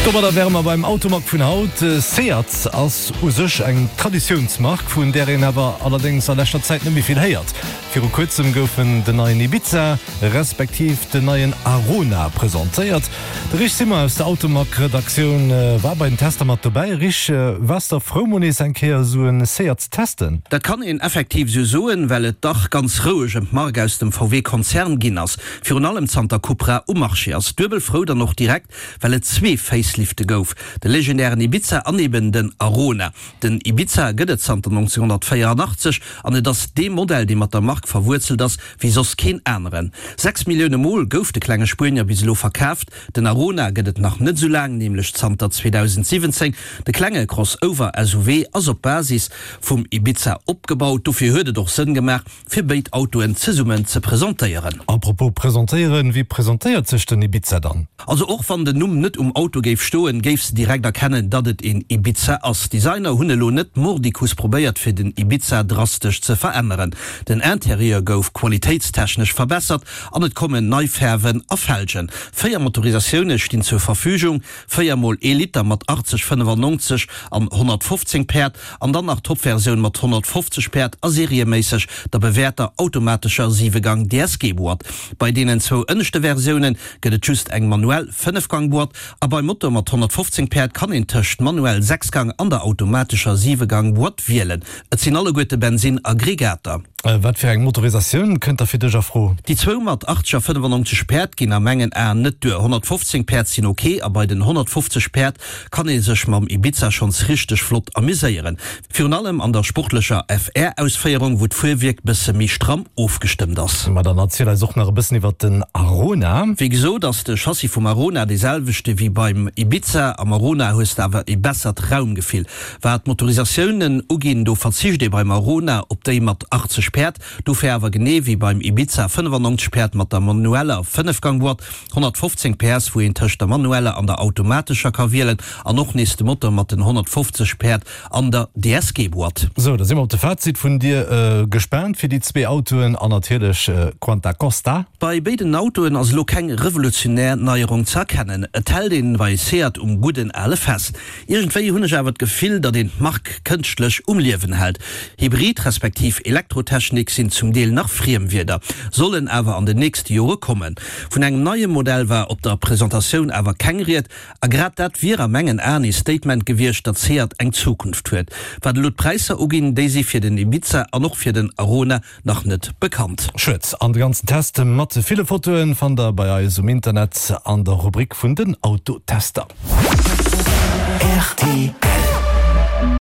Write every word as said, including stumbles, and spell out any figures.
Domadder wäre mer beim Automag vun haut. Seat ass u sech eng Traditiounsmark, vun där een awer allerdéngs a leschter Zäit net méi vill héiert. Viru kuerzem goufen den neien Ibiza respektiv den neien Arona presentéiert. De Rich Simmer aus der Automag-Redaktioun war bei den Tester mat dobäi. Rich, waars de frou mol nees eng Kéier esou e Seat ze testen? Dat kann een effektiv esou soen, well et dach ganz roueg ëm d'Mark aus dem V W-Konzern ginn ass, virun allem zanter Cupra um Marché ass. Duebel frou dann och direkt, well et zwee Facelifte gouf, de legendären Ibiza an eben den Arona. Den Ibiza gëtt et zanter nonzénghonnertvéieranachtzeg an et ass dee Modell, dee mat der Mark verwuerzelt ass wéi soss keen aneren. Sechs Millioune Mol gouf de klenge Spuenier bis elo verkaaft. Den Arona gëtt et nach net esou laang, nämlech zanter zweedausendsiwwenzéng. De klenge Crossover-S U V ass op Basis vum Ibiza opgebaut, dofir huet et och Sënn gemaach, fir béid Autoen zesummen ze presentéieren. Apropos presentéieren, wéi presentéiert sech den Ibiza dann? Also och wann den Numm net um Auto géif stoen, géifs de direkt erkennen, datt et een Ibiza ass. D'Designer hunn elo net mordicus probéiert fir den Ibiza drastesch ze veränneren. Den Interieur gouf qualitéitstechnesch verbessert an et kommen nei Fäerwen a Felgen. Véier Motorisatioune stinn zur Verfügung, véier mol ee Liter mat achtzeg, fënnefannonzeg an honnertfofzéng Päerd an dann nach d'Topversioun mat honnertfofzeg Päerd a serieméisseg der bewäerter automatescher siwe-Gang D S G-Boîte. Bei deenen zwou ënneschte Versioune gëtt et just eng manuell Fënnefgang-Boîte a beim Motor mat honnertfofzéng Päerd kann een tëscht manuell Sechsgang an der automatescher Siwegang-Boîte wielen. Et sinn alleguerte Bensinnaggregater. Wat fir eng Motorisatioun kënnt da fir dech a Fro? Déi zwou mat achtzeg a fënnefannonzeg Päerd ginn a mengen Aen net duer. honnertfofzéng Päerd sinn ok a bei den honnertfofzeg Päerd kann ee sech mam Ibiza schonns richteg flott amuséieren. Virun allem an der sportlecher F R-Ausféierung, wou d'Fuerwierk bësse méi stramm ofgestëmmt ass. Ma dann erziel eis och nach e bëssen iwwert den Arona. Wéi gesot ass de Chassis vum Arona dee selwechte wéi beim Ibiza. Am Arona hues de awer e bessert Raumgefill. Wat d'Motorisatiounen uginn, do verzicht ee beim Arona op déi mat achtzeg Päerd, dofir awer genee wéi beim Ibiza fënnefannonzeg Päerd mat der manueller Fënnefgang-Boîte, honnertfofzéng P S, wou een tëscht der manueller an der automatescher ka wielen, an och nees de Motor mat den honnertfofzeg Päerd an der D S G-Boîte. Sou, da si mer op de Fazit vun dir gespaant fir déi zwee Autoen an natierlech quanta costa? Bei béiden Autoen ass elo keng revolutionär Neierung ze erkennen. Et hält een bei Seat um gudden ale fest. Iergendwéi hunn ech awer d'Gefill, datt een d'Mark kënschtlech um Liewen hält. Hybrid respektiv Elektrotechnik sinn zum Deel nach Friemwierder, sollen awer an den nächste Jore kommen. Vun engem neie Modell war op der Presentatioun awer keng Ried, a grad dat wier a mengen Aen ee Statement gewiescht, datt Seat eng Zukunft huet. Wat elo d'Präisser uginn, déi si fir den Ibiza an och fir den Arona nach net bekannt. Schued. An de ganzen Test mat ville Fotoen fannt der bei eis um Internet an der Rubrik vun den Autotester.